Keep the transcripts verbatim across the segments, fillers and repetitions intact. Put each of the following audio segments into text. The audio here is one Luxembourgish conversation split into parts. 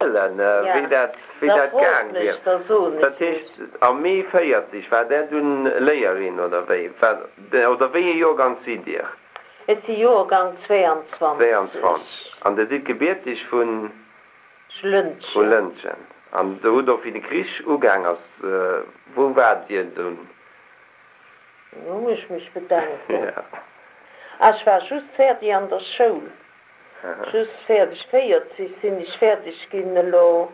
Wéi dat, wéi dat gaang wier. Dat heescht, am Mee véierzeg war Der dunn Léierin, oder wéi? Oder wéi ee Joergank sidd Dir? Ech si Joergank zweeanzwanzeg. Zweeanzwanzeg. An Der sidd gebierteg vun? Lëntgen. Vu Lëntgen. An Der hutt och, wéi de Krich ugaang ass, wou waart Dir dunn? Elo muss ech mech bedenken. Ah, ech war just fäerdeg an der Schoul. Just fäerdeg, véierzeg sinn ech fäerdeg ginn elo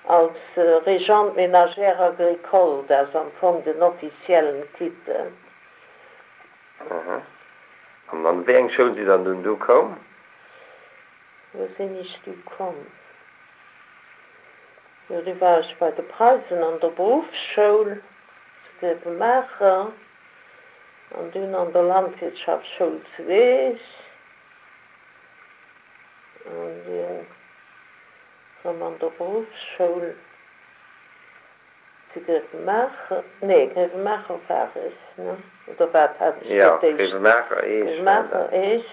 als Régente ménagère agricole, dat ass am Fong den offiziellen Titel. Aha. An an wéi eng Schoul sidd Der dunn du koum? Wou sinn ech du komm? Jo, du war ech bei de Preisen an der Beruffsschoul zu Grevenmacher an dunn an der Landwirtschaftsschoul zu Eech. An dunn rëm an der Beruffsschoul zu Grevenmacher, nee, Grevenmacher war ech, ne? Oder wat hat ech Jo, fir d'éischt? Grevenmacher, Eech war dat. Grevenmacher, Eech.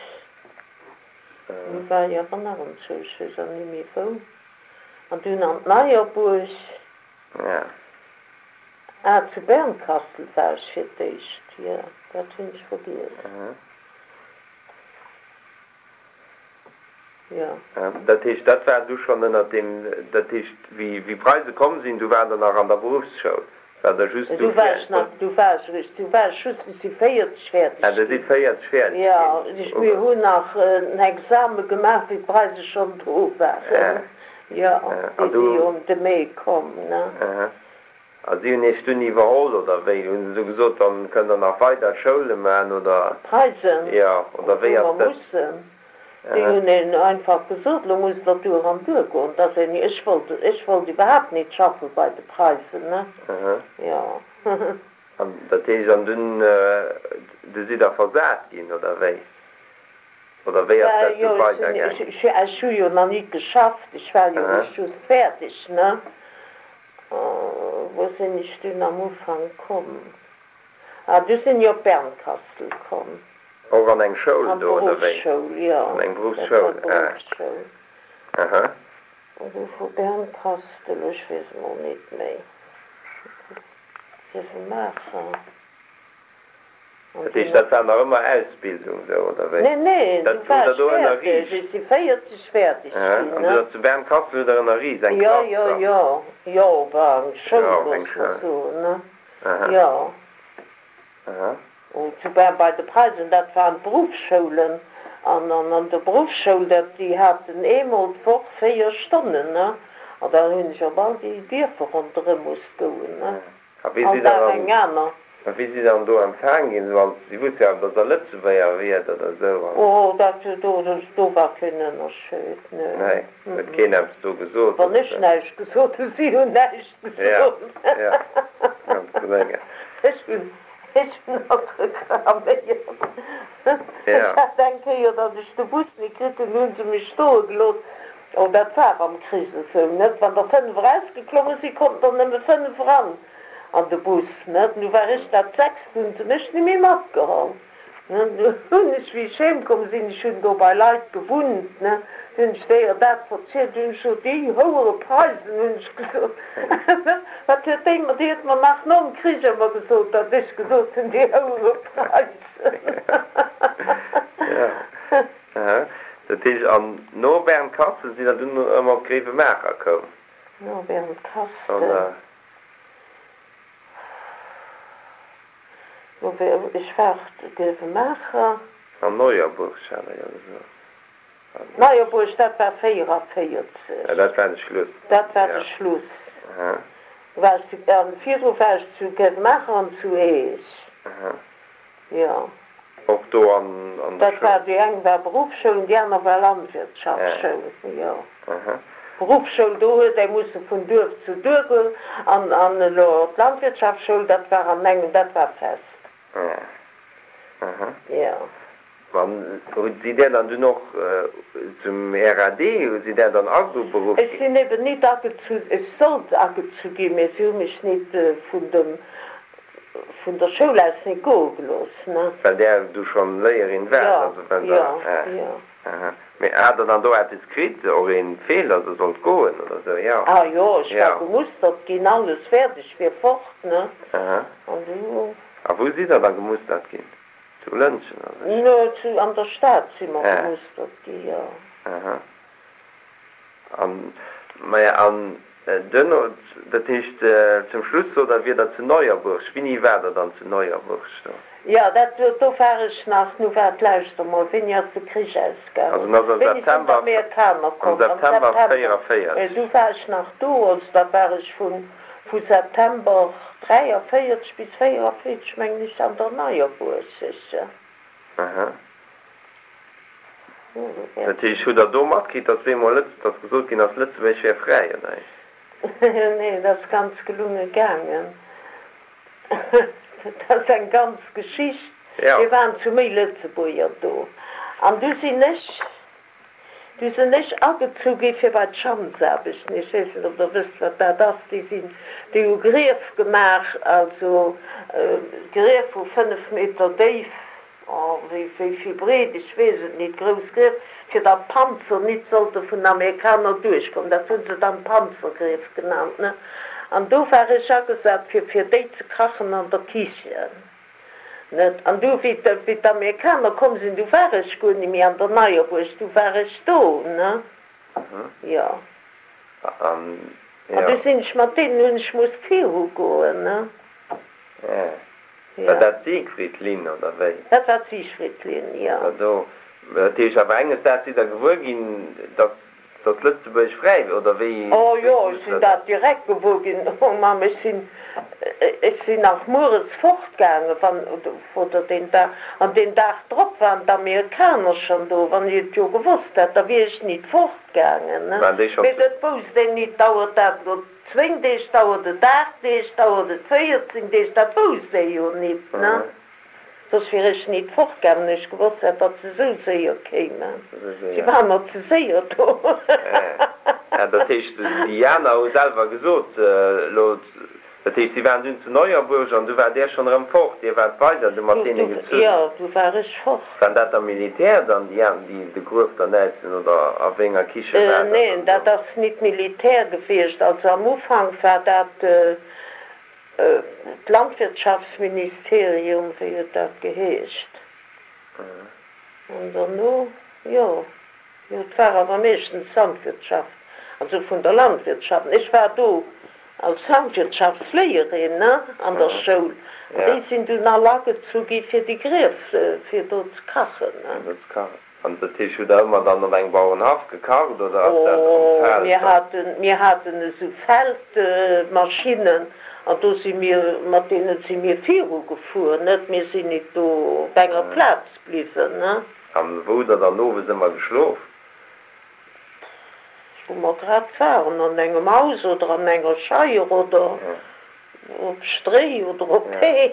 Du war ech awer nach anzwousch, ech weess awer ni méi wou. An dunn an d'Neierbuerg. Ja. Ah, zu Bernkastel war ech fir d'éischt, jo, dat hunn ech vergiess. Jo. Dat heescht, dat war du schonn ënnert deem, dat heescht, wéi wéi Preise komm sinn, du waart Der nach an der Beruffsschoul, waart Der just du Du war ech fir. nach, du war ech eréischt, du war ech just, ech si véierzeg Ah, fäerdeg Der sidd ginn. véierzeg fäerdeg Jo, ginn. ech, mir hunn nach en Exame gemaach, wéi d'Preise schonn do Ja. waren. Jo, An déi si du. jo ëm de Mee komm, ne. Aha. A si hunn Iech dunn iwwerholl, oder wéi? Hunn se du gesot, dann kënnt Der nach weider Schoule man, oder? D'Preisen, Jo, oder hu wéi mer ass dat? mussen. Déi Aha. hunn een einfach gesot, lo musst Der duer an duer goen. Dass een, ech wollt, ech wollt iwwerhaapt nit schaffe bei de Preisen, ne? Aha. Jo. An dat heescht, an dunn, du sidd Der versat ginn, oder wéi? Oder wéi ass Well dat du jo, ech sinn, weidergaang? ech, ech, ech hu jo nach nit geschafft, ech war jo Aha. eréischt just fäerdeg, ne? Wou sinn ech dunn am Ufank komm? Ah, du sinn ech op Bernkastel komm. Och an eng Schoul An do, oder wéi? d'Beruffsschoul, jo, An eng dat war Beruffsschoul, ah. d'Beruffsschoul. Aha. An du vu Bernkastel, ech weess emol nit méi, Grevenmacher. An Dat dunn heescht, dat op. war nach ëmmer Ausbildung sou, oder wéi? Nee, nee, du Dat hutt war Der ech do fäerdeg, ënnerriicht? ech si véierzeg fäerdeg Aha. ginn, An ne? du zu Bernkastel hutt Der ënnerriicht, eng Jo, Klass jo, dann? jo, jo, war eng Schoul, Jo, eng looss mer Schoul. soen, ne? Aha. Jo. Aha. Oh, zu Bern bei de Preisen, dat waren d'Beruffsschoulen. An an der Beruffsschoul, dat, déi haten eemol d'Woch véier Stonnen, ne? An da hunn ech op all déi Dierfer ronderëm musst goen, ne? A wéi All sidd Der Dag dann, eng aner. a wéi sidd Der dann do empfaang ginn, sou als, si wusste jo awer, datt Der Lëtzebuerger wiert oder sou, an? Oh, dat, do, do war keen Ënnerscheed, nee. Nee, huet keen eppes do gesot Wann oder ech sou? näischt gesot hunn, si hunn näischt Ja, gesot. ja, ganz geléngen. Ech hunn, ech hunn nach reklaméiert. Ech Ja. hat eng Kéier, datt ech de Bus nit kritt hunn, hu se mech stoe gelooss. Oh, dat war am Krich esou, net? Wann der fënnef erausgeklomme sinn, konnten der nëmme fënnef eran an de Bus, net? Nu war ech dat sechst, hunn se mech ni méi matgeholl, ne? Du hunn ech, wéi ech heemkomm sinn, ech hunn do bei Leit gewunnt, ne, du hunn ech déier dat verzielt, du hunn ech gesot, déi houere Preisen, hunn ech gesot, ne? Wat huet déi mer, déi huet mer nach nom Krich ëmmer gesot, datt ech gesot hunn, déi houere Preisen. Ja, aha. Dat heescht, an no Bernkastel sidd Der dunn erëm op Grevenmacher koum, No Bernkastel. oder? No ech war Grevenmacher. An Neuerburg, hat Der jo gesot. Neuerburg, dat war Ja, véieravierzeg. dat war de Schluss. Dat war de Ja. Schluss. Aha. War ech zu, an virdru war ech zu Grevenmacher an zu Eech. Aha. Jo. Och do an, an der Dat war, Schoul? déi eng war Beruffsschoul an déi aner war Ja. Landwirtschaftsschoul, jo. Aha. Beruffsschoul, do huet ee musse vun Duerf zu Duerf goen an, an elo d'Landwirtschaftsschoul, dat war an engem, dat war fest. Ja. Aha. Jo. An hutt sidd Der dann dunn och zum R A D, hu sidd Der dann ageberuff Ech ginn? sinn eben nit agezu, ech sollt agezu ginn, mee si hu mech nit vun dem, vun der Schoul aus nit goe gelooss, ne. Well Der du schonn Léierin waart, Jo, also well jo, Der, ah, jo. aha. Mee hat Der dann do eppes kritt, och een Befehl, dass Der sollt goen oder sou? Jo. Ah jo, ech war Jo. gemustert ginn, alles fäerdeg, wier fort, ne. Aha. An du. A wou sidd Der da gemustert ginn? Zu Lëntgen oder? Ne, zu, an der Stad si mer Ja. gemustert gi, jo. Aha. An, maja, an duerno, dat heescht zum Schluss sot Der, wier Der zu Neuerburg. Wéini waart Der dann zu Neuerburg do? Jo, dat, do war ech nach, nu waart, lauschter mol, wéini ass de Krich Also ausgaangen? en ass am Wéini sinn September, d'Amerikaner am komm? Am September September. véierunvéierzeg. Du war ech nach do, also da war ech vun, vu September dräiavéierzeg bis véierunvéierzeg, mengen ech, an der Neierbuerg, sécher. Aha. Jo, do wär Dat heescht, hutt Der do matkritt, datt bemol Lëtz, datt gesot ginn ass, Lëtzebuerg wär fräi, oder wéi? Nee, dat ass ganz gelunge gaangen. Dat ass eng ganz Geschicht. Ja. Mir waren zu méi Lëtzebuerger do. An du sinn ech, du sinn ech agezu gi fir bei d'Schanzaarbechten. Ech weess net, ob Der wësst, wat dat ass. Déi sinn, déi hu Grief gemaach, also Grief vu fënnef Meter déif. Oh, wéi vill breet, ech weess et nit, grouss Grief, fir datt d'Panzer nit sollte vun den Amerikaner duerchkommen. Dat hu se dann Panzergrief genannt, ne? An do war ech agesat, fir fir déi ze kachen an der Kichen, net? An du, wéi wéi d'Amerikaner komm sinn, du war ech guer ni méi an der Neierbuerg, du war ech do, ne? Jo. An, An jo. du sinn ech mat deenen, hunn ech musst virugoen, ne? Ja. War Ja. dat d'Siegfriedlinn oder wéi? Dat war d'Siegfriedlinn, jo. War do. Dat heescht awer enges Daags sidd Der gewuer ginn, dass, dass Lëtzebuerg fräi wier, oder wéi, Oh wéi jo, ech muss sinn dat? dat direkt gewuer ginn. Oh Mamm, ech sinn, ech sinn nach mueres fortgaangen, wann, oder deen Dag, an deen Dag drop waren d'Amerikaner schonn do. Wann ech et jo gewosst hätt, da wier ech nit fortgaangen, ne. Waren déi schonn Mee zu. dat wousst een nit. Dauert dat elo zwéin Deeg, dauert et aacht Deeg, dauert et véierzéng Deeg, dat wousst ee jo nit, ne. Soss wier ech nit fortgaangen, wann ech gewosst hätt, datt se esou séier kéimen. Esou Si séier. waren mer ze séier do. Ja, dat heescht, déi aner hu selwer gesot, elo, dat heescht, si waren dunn zu Neuerburg an du waart Dir schonn erëm fort, Dir waart weider du mat Du, deene du, gezunn. jo, du war ech fort. Waren dat da Militär dann, déi an, déi de Gruef dann äissen, oder a wéi enger Kiche war dat Neen, dann do? dat ass nit Militär gewiescht. Also am Ufank war dat d'Landwirtschaftsministerium, wéi huet dat geheescht? An derno, jo, jo, et war awer meeschtens d'Landwirtschaft, also vun der Landwirtschaft. Ech war do als Landwirtschaftsléierin, ne, an der Schoul. An déi Ja. sinn dunn all agezu gi fir déi Grief, fir do ze kachen, ne. Fir do ze kachen. An dat heescht, hutt Der ëmmer dann op engem Bauerenhaff gekacht oder ass dat am Oh, Feld mir dann? haten, mir haten esou Feldmaschinnen an do si mir, mat deene si mir virugefuer, net, mir sinn nit do op enger Plaz bliwwen, ne. An wou hutt Der dann owes ëmmer geschlof? Wou mer grad waren, an engem Haus oder an enger Scheier oder op Stréi oder op Hee.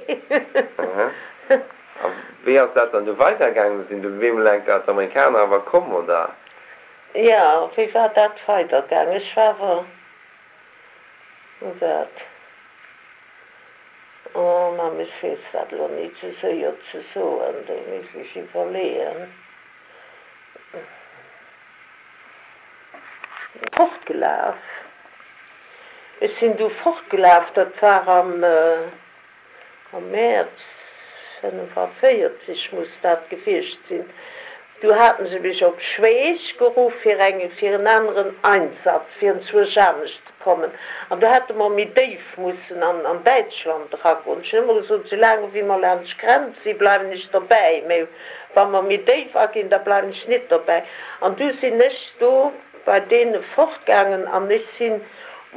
A wéi ass dat dann du weidergaangen? Sinn du bemol enker d'Amerikaner awer komm, oder? Jo, wéi war dat weidergaangen? Ech war awer, nu wat, oh Mamm, ech weess dat elo nit sou séier ze soen, do misst ech iwwerleeën. Fortgelaf. Ech sinn du fortgelaf, dat war am am Mäerz fënnefavéierzeg muss dat gewiescht sinn. Du haten se mech op Schweech geruff fir eng fir en aneren Einsatz, fir enzwousch anescht ze kommen. An do hätte mer méi déif mussen an an Däitschland eragoen. Ech hunn ëmmer gesot, soulaang wéi mer laanscht d'Grenz si bleiwen ech derbäi, mä wa mer méi déif aginn, da bleiwen ech nit derbäi. An du sinn ech do bei deene fortgaangen an ech sinn,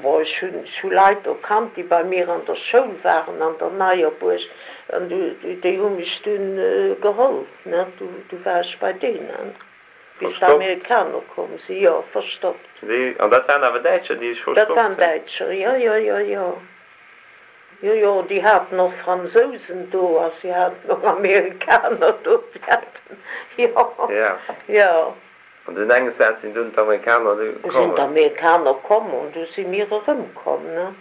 bon, ech hunn, ech hu Leit do kannt, déi bei mir an der Schoul waren an der Neierbuerg, an du, déi hu mech dunn geholl, ne, du, du war ech bei deenen, bis Verstoppt? d'Amerikaner komm sinn, jo, verstoppt. Déi, an dat waren awer Däitscher, déi iech Dat verstoppt waren hunn? Däitscher, jo, jo, jo, jo. Jo, jo, déi haten och Fransousen do a si haten och Amerikaner do, si haten, jo, Ja. jo. An dunn enges Daags sinn dunn d'Amerikaner du Du sinn kommen? d'Amerikaner komm an du si mir erëmkomm, ne.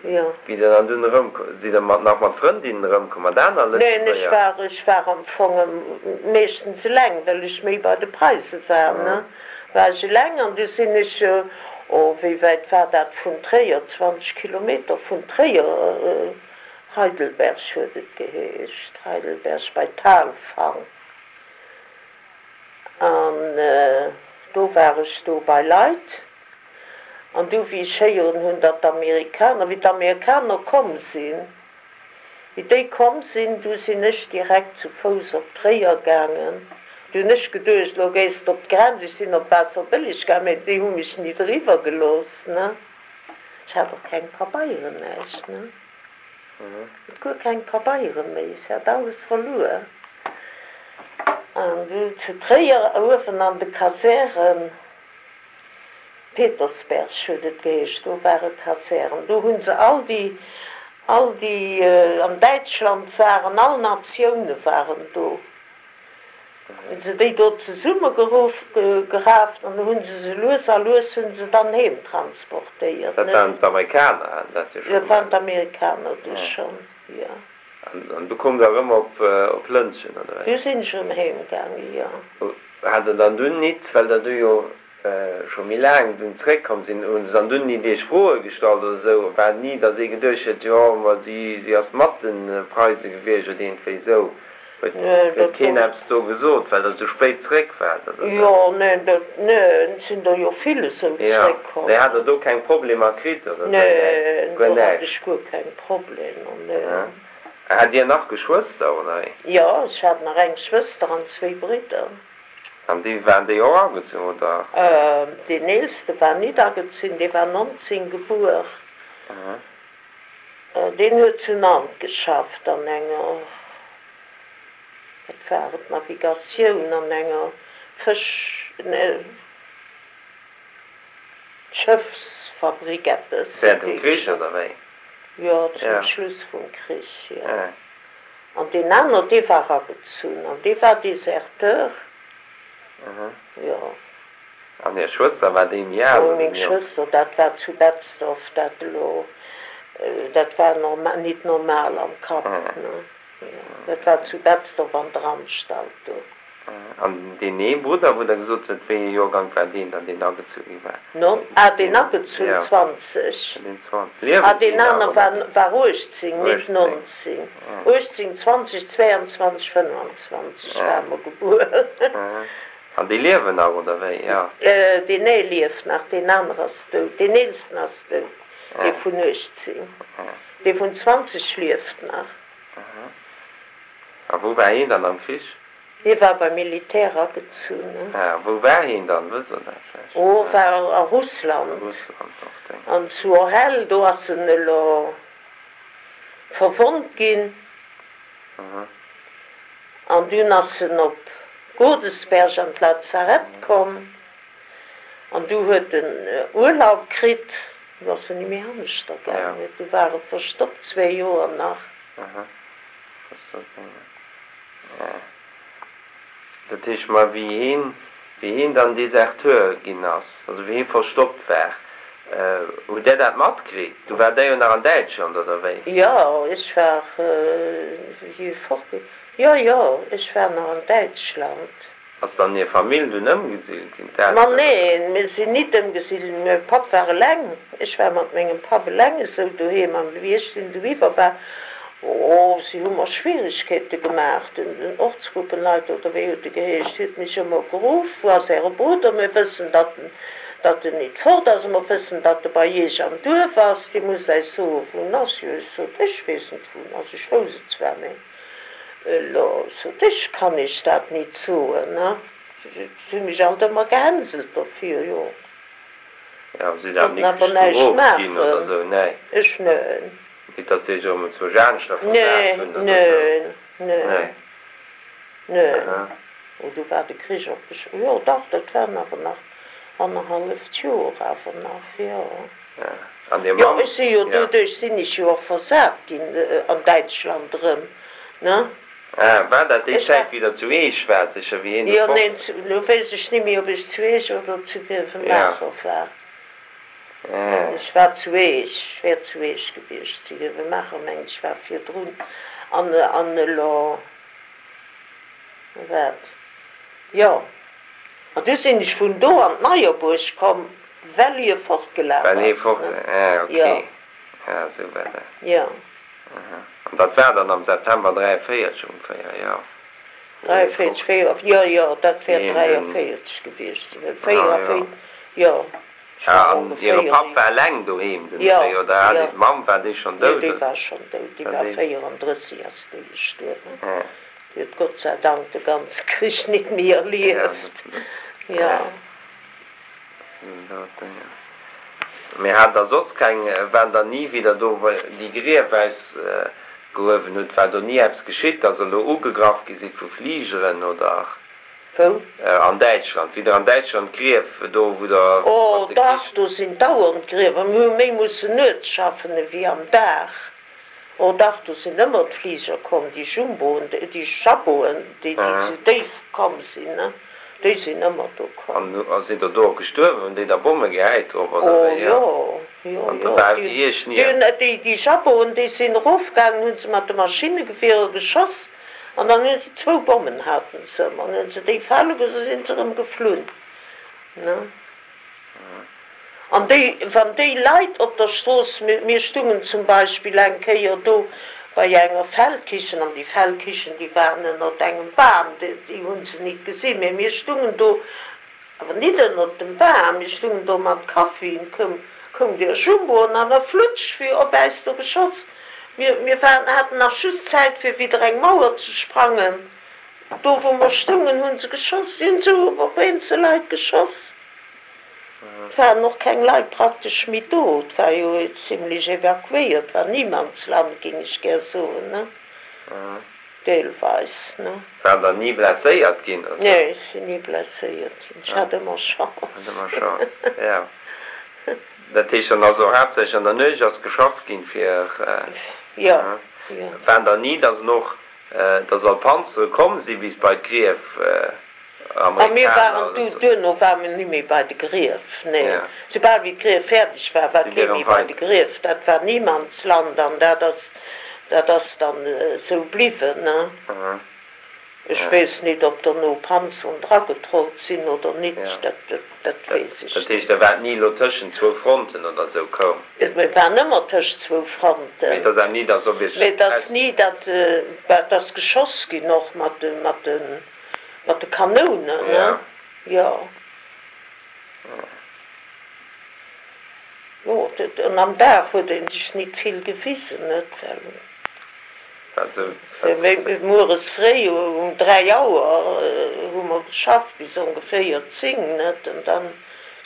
Jo. Wéi der dann dunn erëm, sidd der mat, nach mat Frëndinnen erëmkomm, mat aner Neen, ech Lëtzebuerger? war, ech war am Fong meeschtens eleng, well ech méi bei de Preise war, ne, war ech eleng an du sinn ech, oh, wéi wäit war dat vun Tréier, zwanzeg Kilometer vun Tréier, Heidelberg huet et geheescht, Heidelberg bei Thalfang. An do war ech do bei Leit. An du wéi ech héieren hunn, datt d'Amerikaner, wéi d'Amerikaner komm sinn, wéi déi komm sinn, du sinn ech direkt zu Fouss op Tréier gaangen. Du hunn ech geduecht, lo gees de op d'Grenz, ech sinn op Waasserbëlleg gaangen, mä déi hu mech nit eriwwer gelooss, ne. Ech hat och keng Pabeieren, näischt, ne. Hat guer keng Pabeiere méi, ech hat alles verluer. An du zu Tréier uewen an de Kasären, Petersberg huet et geheescht, do ware Kasären, do hu se all déi, all déi an Däitschland waren, all Natioune waren do, hu se déi do zesummegeruff, geraaft an hu se se lues a lues hu se dann heem transportéiert. Dat waren d'Amerikaner, haten dat jo scho Dat waren gemaach. d'Amerikaner du schonn, jo. An du koum der erëm op op Lëntgen, oder wéi? Du sinn ech erëm heem gaangen, jo. Hat der dann dunn nit, well der du jo scho méi laang dunn zréckkomm sinn, hu se dann dunn nit iech Froe gestallt oder esou? War et ni, datt ee geduecht huet, jo, ma si si ass mat de Preise gewiescht oder iergendwéi esou? Huet Neen, huet dat keen wor. eppes do gesot, well der esou spéit zréck waart oder esou? Jo, neen, dat, neen, et sinn der jo vill esou Jo, zréckkomm, mee hat ne? der do keng Problemer kritt oder esou? Näischt, Neen, guer do hat näischt? ech guer keng Problemer, Aha. neen. Hat Dir nach Geschwëster, oder wéi? Jo, ech hat nach eng Schwëster an zwéi Bridder. An déi, waren déi och agezunn, oder? Deen eelste war nit agezunn, dee war nonzéng gebuer. Deen huet zu Nantes geschafft an enger, wat war et, Navigatioun, an enger Fësch, ne, Schëffsfabrik eppes huet Während dem dee Krich, geschafft. oder wéi? Jo, zum Ja. Schluss vum Krich, jo. Ja. An deen aner, dee war agezunn an dee war Deserteur. Jo. An Är Schwëster, war déi méi al Oh, oder meng méi jonk? Schwëster, dat war zu Betzdorf, dat elo, dat war normal, nit normal am Kapp, ne? Jo, dat war zu Betzdorf an der Anstalt do. An deen ee Brudder, wou Der gesot hutt, wéi ee Joergank war deen dann, deen agezu gi war? Non, ah, deen agezunn, Jo, zwanzeg. deen zwanzeg. Ah, Liewen si deen nach, aner oder? war, war uechtzéng, nit Uechtzéng, nonzéng. ja. Uechtzéng, zwanzeg, zweianzwanzeg, fënnefanzwanzeg Ja. ware mer gebuer. An déi liewen nach, oder wéi? Jo. Deen ee lieft nach, deen aner ass dout. Deen eelsten ass dout, dee vun uechtzéng. Dee vun zwanzeg lieft nach. A wou war hien dann am Krich? Hie war beim Militär agezunn. Ah, wou war hien dann? Wësst Der dat vläicht? Oh, war a A Russland. Russland och, denken An zu Orel, do ass en elo verwonnt ginn. An dunn ass en op Godesberg an d'Lazarett komm. An du huet en Urlaub kritt. Du ass en ni méi aneschter gaangen. Du war e verstoppt zwee Joer nach. Dat heescht, ma wéi hien, wéi hien dann Deserteur ginn ass, also wéi hie verstoppt war, hutt Där dat matkritt? Du waart Der jo nach an Däitschland, oder wéi? Jo, ech war, wéi hie fort, jo, jo, ech war nach an Däitschland. Ass dann Är Famill dunn ëmgesidelt ginn, Ma d'Elteren, oder? neen, mir sinn nit ëmgesidelt, mäi Papp war eleng, ech war mat mengem Papp eleng esou doheem an wéi ech dunn dohiwwer war, oh, si hu mer Schwieregkeete gemaach, den den Ortsgruppenleiter oder wéi huet e geheescht, huet mech ëmmer geruff, Wou ass Äre Brudder, mir wëssen, datt en datt en nit fort ass a mer wëssen, datt e bei Iech am Duerf ass, Dir musst äis soen, wou en ass. Jo, ech sot, ech weess net, wou en ass, ech wousst et zwar, mä Elo, sot ech, kann ech dat nit soen, ne? Si hu mech alt ëmmer gehänselt dofir, jo. Jo, sidd awer Konnten nit awer näischt gestrooft ginn oder maachen. esou, nee? Ech, neen. Nit datt si iech erëm enzwousch aneschter versat Neen, hunn oder esou? neen, neen, Nee. neen. Aha. Oh, du war de Krich och besch, jo dach, dat waren awer nach annerhalleft Joer awer nach, jo. Ja. An Dir Jo, Mamm? ech si jo, Ja. doduerch sinn ech jo och versat ginn an Däitschland erëm, ne? Ah, war dat déi Ech war. Zäit, wéi Der zu Eech waart, sécher, wéi hien do Jo, fort. neen, zu, lo weess ech ni méi, ob ech zu Eech oder zu Ja. Grevenmacher war. Ech war zu Eech, ech wär zu Eech gewiescht sinn, Grevenmacher mengen ech war virdrun, an an elo wat, jo, an du sinn ech vun do an d'Neierbuerg komm, well hie fortgelaf Well hie ass, fort, ne, ah jo. ok, ah esou war dat. Jo. Aha, an dat war dann am September dräiavéierzeg ongeféier, jo, wou hie Dräiavéierzeg, fort, véier, jo, jo, dat wéi wäert hien dunn, dräiavéierzeg gewiescht sinn, well ah jo. véieravéi, jo, ech Ah, war an hire ongeféier Papp war eleng doheem den Jo, Dréi, oder hat jo. déi d'Mamm, war déi schonn Nee, dout, déi oder? war schonn dout, déi War war déi. véierandrësseg ass déi gestuerwen. Ah. Déi huet Gott sei Dank de ganze Krich nit méi Ja, erlieft. Jo. ja. Mee hat der soss keng, waren der ni, wéi der do déi Grief ausgehuewen hutt, war do ni eppes geschitt, dass der elo ugegraff gi sidd vu Fligeren oder? Wou? An Däitschland, wéi der an Däitschland d'Grief do, wou der Oh mat de dach, Krich. do sinn dauernd Griewer. Mir hu méi mussen nuets schaffen ewéi am Dag. Oh dach, do sinn ëmmer d'Fliger komm, déi Jumboen, déi Jaboen, déi déi sou déif komm sinn, ne, déi sinn ëmmer do komm. An sinn der do och gestuerwen, hunn déi da Bomme gehäit drop oder Oh wéi? Jo. jo, jo, An da jo. war Déi, Iech déi ni. hunn, déi, déi Jaboen, déi sinn erofgaangen, hu se mat de Maschinnegewierer geschoss an dann hu se zwou Bommen haten se ëmmer, an hu se déi fale gelooss, da sinn se erëm geflunn, ne. An déi, wann déi Leit op der Strooss, mir, mir stungen zum Beispill eng Kéier do bei enger Feldkichen, an déi Feldkichen, déi waren ënnert engem Bam, déi, déi hu se nit gesinn, mä mir stungen do, awer nit ënnert dem Bam, mir stungen do mat Kaffi, koum, koum dee Jumbo an awer flutsch wéi op äis do geschoss. Mir, mir waren, haten nach just Zäit fir widder eng Mauer ze sprangen, do wou mer stungen, hu se geschoss, si hunn esou op eenzel Leit geschoss. Et waren och keng Leit praktesch méi do, et war jo zimlech evakuéiert, war Niemandsland, géing ech gär soen, ne, deelweis, ne. Waart der ni blesséiert ginn oder sou? Nee, ech sinn ni blesséiert ginn, ech hat ëmmer Hat Chance. ëmmer Chance, jo. Dat heescht dann also haaptsächlech an der Nuecht ass geschafft ginn fir, Jo, jo. waren der ni, dass en och, dass all Panzere komm si bis bei d'Grief, A mir Amerikaner waren oder du, sou? duerno ware mir ni méi bei de Grief, nee. Ja. Soubal wéi d'Grief fäerdeg war, war Sidd kee Dir erëm méi bei de weider? Grief. Dat war Niemandsland an dat ass, dat ass dann esou bliwwen, ne. Aha. Ech Ja. weess nit, ob derno Panzeren dragetrollt sinn oder nit, Ja. dat, dat, dat Dat, weess ech dat nit. heescht, Der waart ni elo tëschent zwou Fronten oder sou koum? Mir waren ëmmer tëscht zwou Mee Fronten. et ass awer ni, dass op Iech Mee et ass aus. ni, datt, bah, et ass geschoss ginn och mat de, mat de, mat de Kanounen, ne? Ja. Jo. Jo, dat, an am Dag huet ee sech nit vill gewisen, net, well. Wat sou, wat Well mueres fréi um dräi Auer hu mer geschafft bis ongeféier zéng, net? An dann,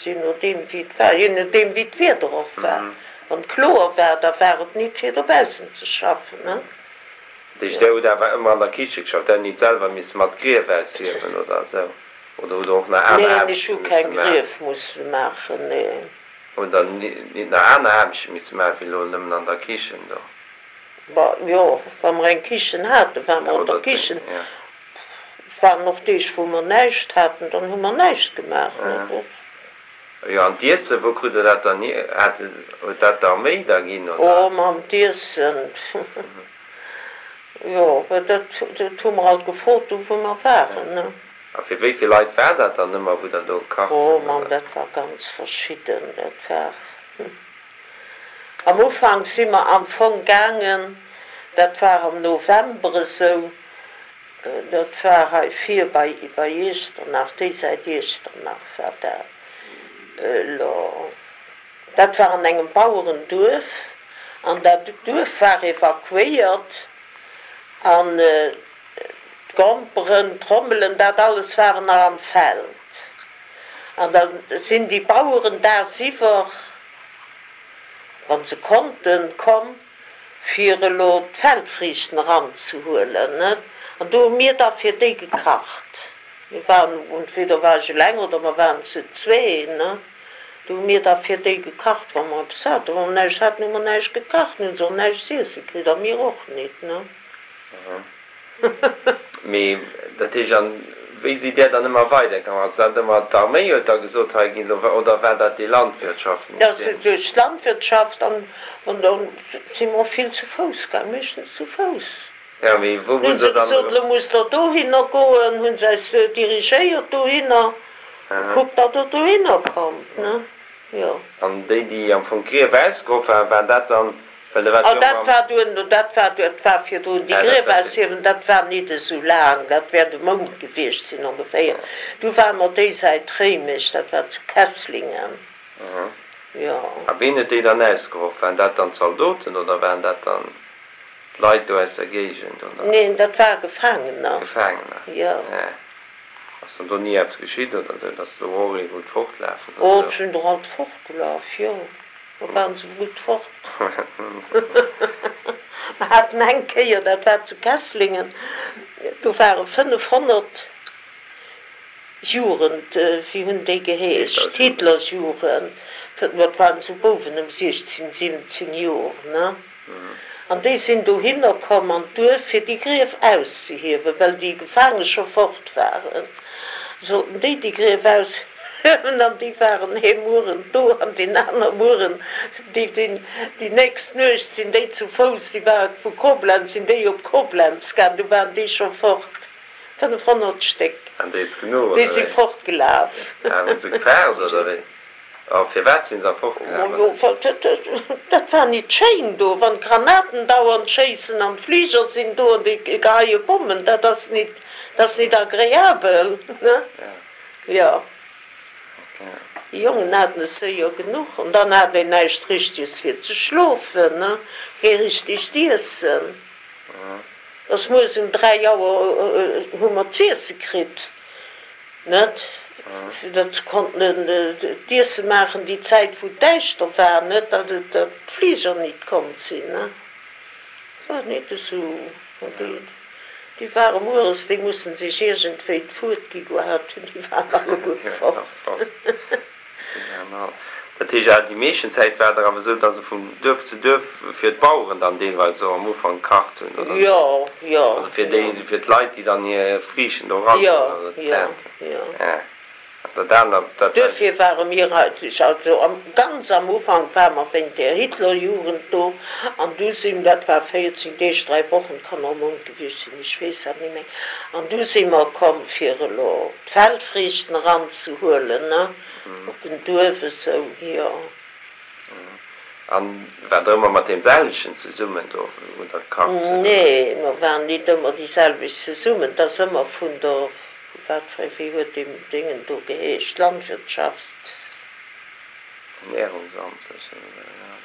je nodeem wéi et war, je nodeem wéi d'Wieder och war, wann et kloer war, da war et nit fir dobaussen ze schaffen, ne? Deeg, Jo. Där hutt awer ëmmer an der Kiche geschafft, där hutt nit selwer misse mat Grief aushiewen oder esou, oder hutt Der och nach aner Neen, ech Aarbechte hu misse keng maachen? Grief musse maachen, nee. Hutt Der nit nach aner Aarbechte misse maachen, wéi elo nëmmen an der Kichen do? Bah, jo, wa mer eng Kichen haten, ware mer an der Oder Kichen. ja. Et waren och Deeg, wou mer näischt haten, dann hu mer näischt gemaach, ne, Ja. och. Jo, an d'Iessen, wou krut Der dat dann hier? Hat, huet dat d'Arméi da ginn, Oh, oder? mam d'Iessen, jo, dat, dat hu mer alt gefrot, do wou mer waren, ne. A fir wéi vill Leit war dat dann ëmmer, wou Der do gekacht Oh hutt, Mann, oder? dat war ganz verschidden, dat war, am Ufank si mer am Fong gaangen, dat war am November esou, dat war hei vir bei, bei Iechternach, déi Säit Iechternach war dat elo, dat war an engem Bauerenduerf an dat Duerf war evakuéiert an d'Gromperen, d'Trommelen, dat alles waren nach am Feld. An da sinn déi Baueren dagsiwwer, wa se konnten, komm, fir elo d'Feldfriichten eranzehuelen, net? An do hu mir da fir déi gekacht. Mir waren, entweder war ech eleng oder mer waren zu zwee, ne? Do hu mir da fir déi gekacht, wa mer eppes haten. Wa mer näischt haten, hu mer näischt gekacht, hunn se och näischt z'iesse kritt a mir och nit, ne? Mee dat heescht, an wéi sidd Där dann ëmmer weidergaangen? Ass dat ëmmer d'Arméi huet da gesot, hei ginn elo, oder war dat déi Dat Landwirtschaft? duerch d'Landwirtschaft an an da si mer och vill zu Fouss gaang, meeschtens zu Fouss. Ja, mee wou Hunn hunn se se dann gesot, elo? elo musst Der dohinner goen, hunn se eis dirigéiert dohinner, kuckt, datt Der dohinner kommt, ne? Jo. An déi, déi am Fong d'Grief ausgehoff waren, war dat dann, well da war Oh, jo dat ëmmer. war duerno, dat war, dat war virdrun, déi Ah, dat Grief war fir. aushiewen, dat war nit esou laang, dat wäert e Mount gewiescht sinn ongeféier. Du ware mer déi Säit Réimech, dat war zu Kesslingen, jo. A ween huet déi dann ausgehoff? Waren dat dann d'Zaldoten oder waren dat dann d'Leit do aus der Géigend, oder? Neen, dat ware Gefaangener, Gefaangener, jo. ja. Ass dann do ni eppes geschitt oder sou, dass do och ee wollt fortlafen oder Oh, et sou? sinn der alt fortgelaf, jo, da waren se gutt fort. Mer haten eng Kéier, dat war zu Kesslingen, do ware fënnefhonnert Jugend, wéi hunn déi geheescht, Hitlerjugend. Hitlerjugend, dat waren esou Bouwen ëm siechzehn, siwwenzehn Jor, ne? An déi sinn dohinner komm an d'Duerf, fir déi Grief auszehiewen, well déi Gefaange scho fort waren, sollten déi déi Grief aushiewen. An déi waren ee Mueren do an deen aner Mueren, déi, déi, déi nächst Nuecht sinn déi zu Fouss, déi ware vu Koblenz, sinn déi op Koblenz gaang, du waren déi scho fort, fënnefhonnert Stéck, An déi ist genuch, déi oder si wéi? fortgelaf. Ah, hunn se gefaart, oder wéi? A firwat sinn se da fortgelaf, Majo, oder? dat war nit schéin do, wann d'Granaten dauernd schéissen an d'Fliger sinn do an déi geheie Bommen, dat ass nit, dat ass nit agreabel, ne? Jo. Déi Jongen haten es séier genuch an dann hat een näischt Richteges fir ze schlofen, ne, kee richtegt Iessen. Ass mueres um dräi Auer hu mer z'iesse kritt, net, fir datt se konnten d'Iesse maachen déi Zäit wou et däischter war, net, datt et, datt d'Fliger nit komm sinn, ne. Et war nit esou, an déi, déi ware mueres, déi mussen sech iergendwéi d'Fuert gi gehat hunn, déi waren alleguer fort. Dat heescht awer, déi meeschten Zäit war der awer esou, datt se vun Duerf zu Duerf fir d'Baueren dann deelweis och am Ufank gekacht hunn, oder esou? Jo, jo, Also fir jo. déi, fir d'Leit, déi dann hir Friichen do erageholl Jo, oder jo, d'Ernten. jo. Ja. An dat anert, dat war. Duerfir ware mir eigentlech, also am, ganz am Ufank ware mer wéint där Hitlerjugend do an du sinn, dat war véierzéng Deeg, dräi Wochen, kann och e Mount gewiescht sinn, ech weess dat net méi, an du si mer komm fir elo d'Feldfriichten eranzehuelen, ne, op en Duerf esou, jo. An waart der ëmmer mat deem selwechten zesummen do, wou der gekacht hutt, oder? Nee, mer waren nit ëmmer déi selwecht zesummen. Et ass ëmmer vun der, vu wat fir, wéi huet dee Déngen do geheescht, Landwirtschafts. Ernährungsamt sécher, oder? Ja.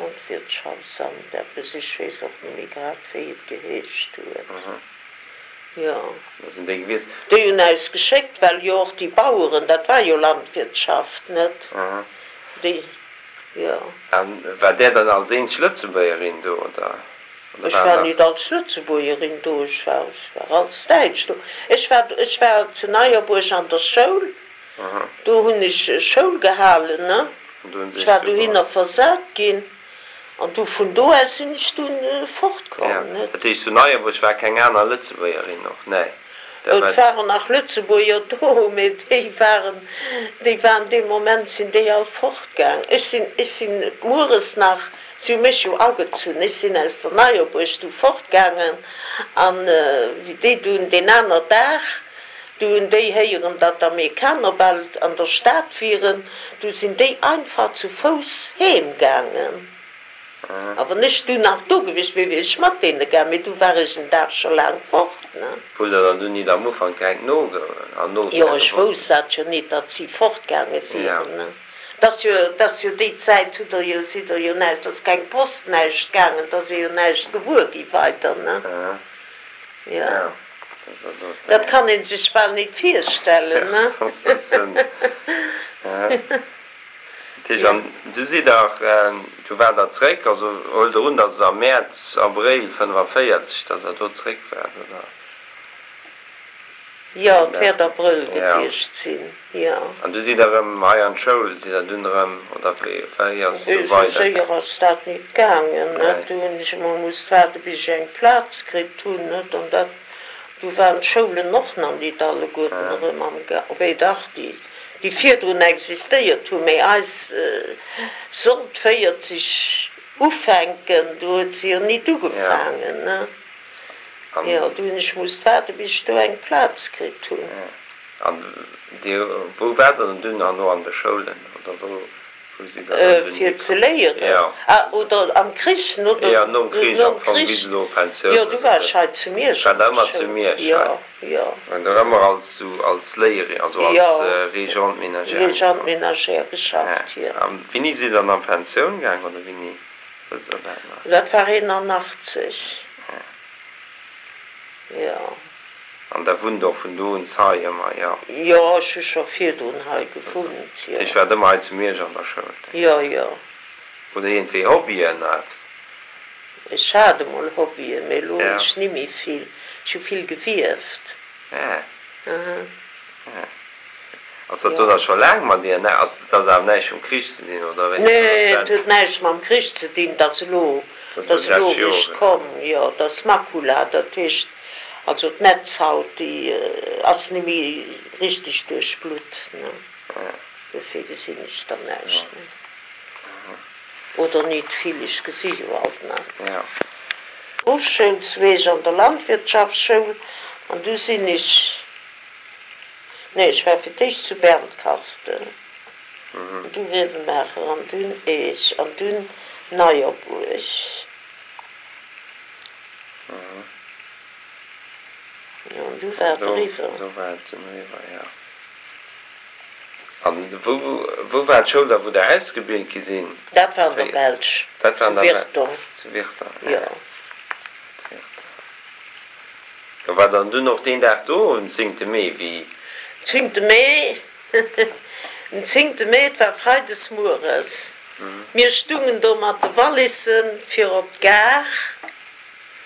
Landwirtschaftsamt, eppes, ech weess och net méi grad, wéi et geheescht huet. Jo. Dat sinn déi gewiescht. Déi hunn äis geschéckt, well jo och déi Baueren, dat war jo Landwirtschaft, net? Déi, jo. A war där dann als eenzeg Lëtzebuergerin do, oder oder Ech waren war nach. nit als Lëtzebuergerin do, ech war, ech war als Däitsch do. Ech war, ech war zu Neierbuerg an der Schoul, do hunn ech Schoul gehalen, ne? An do hunn se Ech iech war du geholl. dohinner versat ginn an du vun do aus sinn ech dunn Ja, fortkomm, net? dat heescht zu Neierbuerg war keng aner Lëtzebuergerin och? Nee, dat Et war. waren nach Lëtzebuerger do, mee déi waren, déi waren dee Moment sinn déi all fortgaang. Ech sinn, ech sinn mueres nach, si hu mech jo agezunn, ech sinn aus der Neierbuerg du fortgaangen an wéi déi dunn deen aner Dag, du hunn déi héieren, datt d'Amerikaner bal an der Stad wieren, du sinn déi einfach zu Fouss heem gaangen. A wann ech du nach do gewiescht wier, wier ech mat deene gaang, mee du war ech en Dag scho laang fort, ne? Wullt der dann dunn nit am Ufank direkt nogoen an Jo, nofrenne ech wosst? wousst dat jo nit, datt si fortgaange Ja. wieren, ne? 't ass jo, 't ass jo déi Zäit hutt der jo, sidd der jo näischt, 't ass keng Post, näischt gaangen, 't ass ee jo näischt gewuer gi weider, ne? Jo. Ja, dat ass dat Dat eng. kann ee sech bal nit virstellen, Ja, ne? dat ass bëssen, ja. Dat heescht, Jo. an du sidd der, du waart der zréck, also huelt der un, datt et am Mäerz, Abréil fënnefaféierzeg, datt der do zréck waart, oder? Jo, et wäert Abrëll Ja. gewiescht sinn, jo. An du sidd der erëm hei an d'Schoul, sidd der dunn erëm, oder wéi, wéi ass et du Esou weider séier gaang? ass dat nit gaangen, net. Nee. Do hunn ech emol musst waarde bis ech eng Plaz kritt hunn, net. An dat, Du waren d'Schoulen och nach nit alleguerten erëm am Ga, wéi dach, déi, déi virdrun existéiert hunn, mee eis sollt véierzeg ufänken, du huet se jo nit ugefaangen, ne? Jo, du hunn ech musst waarde bis ech do eng Plaz kritt hunn. An Dir, wou waart Der dann dunn herno an de Schoulen, oder wou, wou sidd Der dann dunn Fir ze hikomm? léieren? Jo. Ah, oder am Krich, no der, Jo, nom Krich nom am Fong, Krich, bis elo Pensioun jo, du oder war sou. ech hei zu Miersch War an der der ëmmer zu Schoul, Miersch jo, hei? jo. An der ëmmer als sou als Léierin, also als Jo, Régente ménagère Régente ugefaangen? ménagère Ja. geschafft, jo. An wéini sidd Der dann an Pensioun gaang, oder wéini? Wësst Der dat nach? Dat war eenanachtzeg, Ja. jo. An der wunnt och vun do un hei ëmmer, jo? Jo, ech hu scho virdrun hei gewunnt, jo. Dat heescht, waart ëmmer hei zu Miersch an der Schoul? Jo, jo. Hutt Der iergendwéi Hobbyen oder eppes? Ech hat emol Hobbyen, mee elo hunn Ja. ech nimmi vill. Ech hu vill gewieft. Ah. Aha. Ah. Ass dat do Jo. da scho laang mat dir? Ass dat ass awer näischt vum Krich ze dinn, oder wéi? Nee, et huet näischt mam Krich ze dinn, dat ass elo, Dat dat ass ass elo elo déi lescht eréischt Joren. komm. Jo, dat ass Makula, dat heescht also d'Netzhaut, déi ass net méi richteg duerchblutt, ne. Dofir gesinn ech dann näischt méi. Oder nit vill, ech gesi jo alt nach. Berufsschoul zu Eech an der Landwirtschaftsschoul an du sinn ech, nee ech war fir d'éischt zu Bernkastel, an du Grevenmacher an dunn Eech an dunn Neierbuerg. Jo an du war et eriwwer. Do war et dunn eriwwer, jo. An wou wou war d'Schoul da wou der ausgebilt gi sinn? Dat war an der Belsch, Dat war zu an der Belsch, Virton, zu Virton, jo. ja. Zu Virton. Jo, war dann dunn och deen Dag do um zéngte Mee, wéi? Zéngte Mee, den zéngte Mee, et war freides mueres. Mir stungen do mat de Wallissen fir op d'Gare.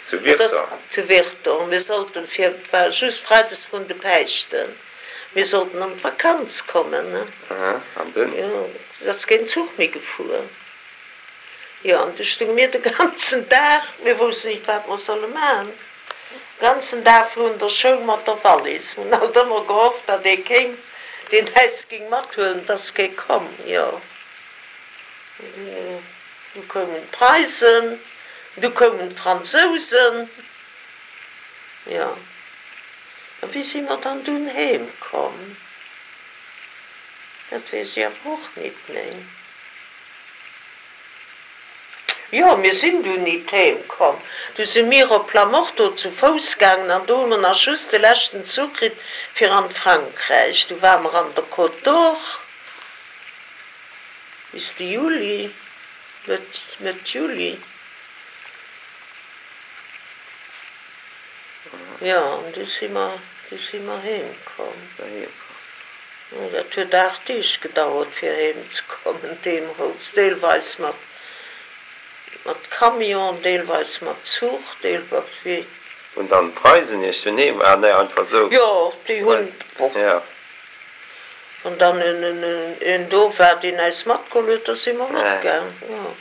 Zu Et ass Virton? zu Virton. Mir sollten fir, et war just freides vrun de Päischten, mir sollten an d'Vakanz kommen, ne? Aha, an dunn? Jo, et ass keen Zuch méi gefuer. Jo, an du stunge mir de ganzen Dag, mir woussten nicht, wat mer solle maachen, de ganzen Dag vrun der Schoul mat der Wallis. Mir hunn alt ëmmer gehofft, datt ee kéim, deen äis géing mathuelen. Et ass kee komm, jo. An dunn, du koumen d'Preisen, du koumen d'Fransousen, jo. A wéi si mer dann dunn heem komm? Dat weess ech awer och nit méi. Jo, mir sinn dunn nit heem komm. Du si mir op Plamorto zu Fouss gaangen an do hu mer nach just de leschten Zuch kritt fir an d'Frankräich. Du ware mer an der Côte d'Or bis de Juli, Mëtt, Mëtt Juli. Jo, an du si mer, du si mer heem komm. Jo, dat huet aacht Deeg gedauert fir heem ze kommen deemools, deelweis mat, mat Camion, deelweis mat Zuch, deelweis wéi. Hunn dann d'Preisen iech dunn heem, ah nee, einfach sou. Jo, déi hunn, Jo. Wann dann en, en, en do war, deen äis matgeholl huet, da si mer matgaang, jo.